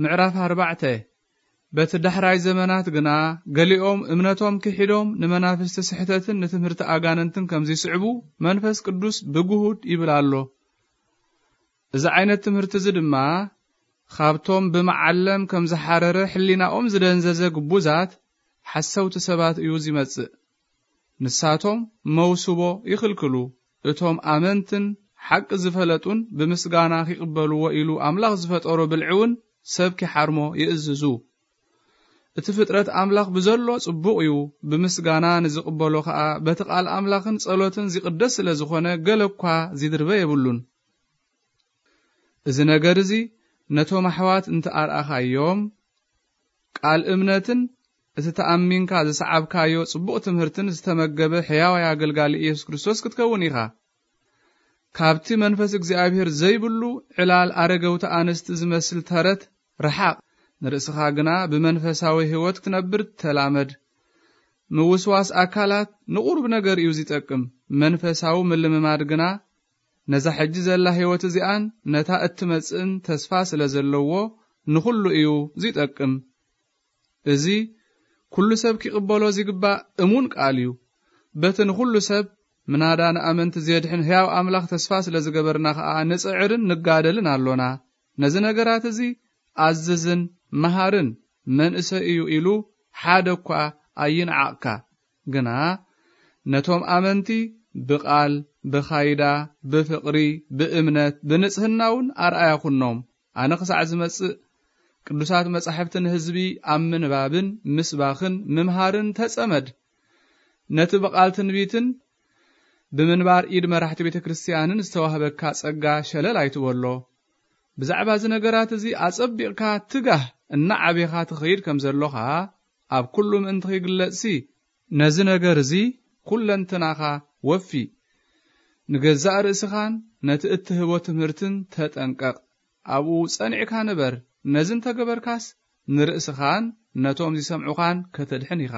ምዕራፍ ኣርባዕተ። በቲ ዳሕራይ ዘመናት ግና ገሊኦም እምነቶም ክሒዶም ንመናፍስቲ ስሕተትን ንትምህርቲ ኣጋንንትን ከም ዝስዕቡ መንፈስ ቅዱስ ብግሁድ ይብል ኣሎ። እዚ ዓይነት ትምህርቲ እዚ ድማ ካብቶም ብመዓለም ከም ዝሓረረ ሕሊናኦም ዝደንዘዘ ግቡዛት ሓሰውቲ ሰባት እዩ ዝመጽእ። ንሳቶም መውስቦ ይኽልክሉ። እቶም ኣመንትን ሓቂ ዝፈለጡን ብምስጋና ኪቕበልዎ ኢሉ ኣምላኽ ዝፈጠሮ ብልዒ እውን ሰብ ኪሓርሞ ይእዝዙ። እቲ ፍጥረት ኣምላኽ ብዘሎ ጽቡቕ እዩ፣ ብምስጋና ንዝቕበሎ ኸኣ በቲ ቃል ኣምላኽን ጸሎትን ዚቕደስ ስለ ዝኾነ ገለ እኳ ዚድርበ የብሉን። እዚ ነገር እዚ ነቶም ኣሕዋት እንተ ኣርኣኻዮም፣ ቃል እምነትን እቲ ተኣሚንካ ዝሰዓብካዮ ጽቡቕ ትምህርትን ዝተመገበ ሕያዋይ ኣገልጋሊ ኢየሱስ ክርስቶስ ክትከውን ኢኻ። ካብቲ መንፈስ እግዚኣብሔር ዘይብሉ ዕላል ኣረገውቲ ኣንስቲ ዝመስል ተረት ረሓቕ፣ ንርእስኻ ግና ብመንፈሳዊ ህይወት ክትነብር ተላመድ። ምውስዋስ ኣካላት ንቑሩብ ነገር እዩ ዚጠቅም። መንፈሳዊ ምልምማድ ግና ነዛ ሕጂ ዘላ ህይወት እዚኣን ነታ እትመጽእን ተስፋ ስለ ዘለዎ ንኹሉ እዩ ዚጠቅም። እዚ ኩሉ ሰብ ኪቕበሎ ዚግባእ እሙን ቃል እዩ። በቲ ንኹሉ ሰብ ምናዳ ንኣመንቲ ዜድሕን ሕያው ኣምላኽ ተስፋ ስለ ዝገበርና ኸኣ ንጽዕርን ንጋደልን ኣሎና። ነዚ ነገራት እዚ ኣዝዝን መሃርን መንእሰይ እዩ ኢሉ ሓደ እኳ ኣይንዓቕካ። ግና ነቶም ኣመንቲ ብቓል፣ ብኻይዳ፣ ብፍቕሪ፣ ብእምነት፣ ብንጽህና እውን ኣርኣያ ኩኖም። ኣነ ክሳዕ ዝመጽእ ቅዱሳት መጻሕፍቲ ንህዝቢ ኣብ ምንባብን ምስባኽን ምምሃርን ተጸመድ። ነቲ ብቓል ትንቢትን ብምንባር ኢድ መራሕቲ ቤተ ክርስቲያንን ዝተዋህበካ ጸጋ ሸለል ኣይትበሎ። ብዛዕባ እዚ ነገራት እዚ ኣጸቢቕካ ትጋህ፣ እናዓቤኻ ትኸይድ ከም ዘሎኻ ኣብ ኩሉ ምእንቲ ኺግለጽሲ፣ ነዚ ነገር እዚ ኩለንትናኻ ወፊ። ንገዛእ ርእስኻን ነቲ እትህቦ ትምህርትን ተጠንቀቕ። ኣብኡ ጸኒዕካ ንበር። ነዚ እንተ ገበርካስ ንርእስኻን ነቶም ዚሰምዑኻን ከተድሕን ኢኻ።